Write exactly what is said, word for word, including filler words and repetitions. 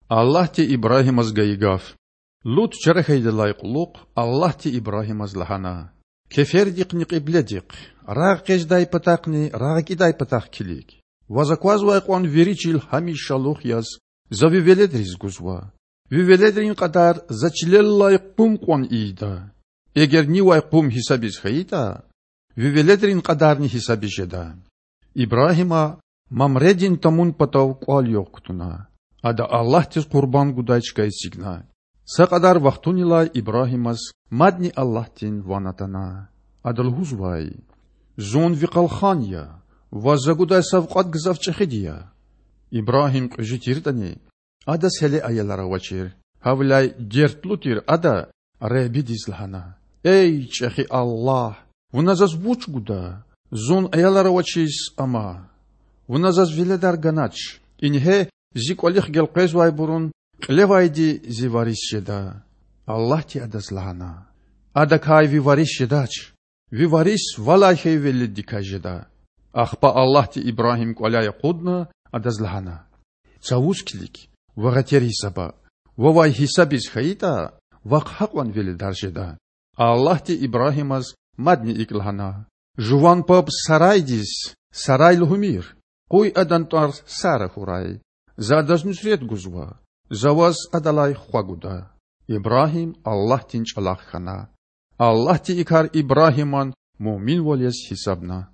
Аллагьди Ибрагьимаз гайи гаф. Лут чара хьайидалай кьулухъ Аллагьди Ибрагьимаз лагьана: Кефердихъни кьибледихъ, рагъэкъечІдай патахъни рагъакІидай патахъ килиг. Ваз аквазвай кьван вири чил гьамишалугъ яз За ви веледриз гузва. Ви веледрин кьадар За чилеллай къум кьван ийида. Эгер нивай къум гьисабиз хьайитІа, ви веледрин кьадарни гьисабиз жеда. Ибрагьима Мамредин тамун патав кІвал-югъ кутуна. Ада Аллагьдиз къурбанд гудай чка эцигна. Са кьадар вахтунилай Ибрагьимаз мадни Аллагьдин ван атана. Ада лугьузвай: Зун ви къалхан я, ваз За гудай савкьват гзаф чІехиди я. Ибрагьим кьуьзуь тиртІани, адаз гьеле аялар авачир. Гьавиляй дертлу тир ада Худадиз лагьана: Эй чІехи Аллагь! Вуна заз вуч гуда? Зун аялар авачиз ама. Вуна заз веледар ганач. Ингье, зи кІвалихъ гелкъвезвайбурун кьилевайди зи варис жеда. Аллагьди адаз лагьана: Адакай ви варис жедач. Ви варис валай хьайи веледдикай жеда. Ахпа Аллагьди Ибрагьим кІваляй акъудна, адаз лагьана: Цавуз килиг, вагъетер гьисаба. Вавай гьисабиз хьайитІа, вахъ гьакьван веледар жеда. Аллагьди Ибрагьимаз мадни икІ лагьана: Жуван паб Сарайдиз Сарай лугьумир. Къуй адан тІвар Сара хьурай. За адаз нуьсрет гузва. За ваз адалай хва гуда. Ибрагьим Аллагьдин чІалахъ хьана. Аллагьди и кар Ибрагьиман муъминвал яз гьисабна.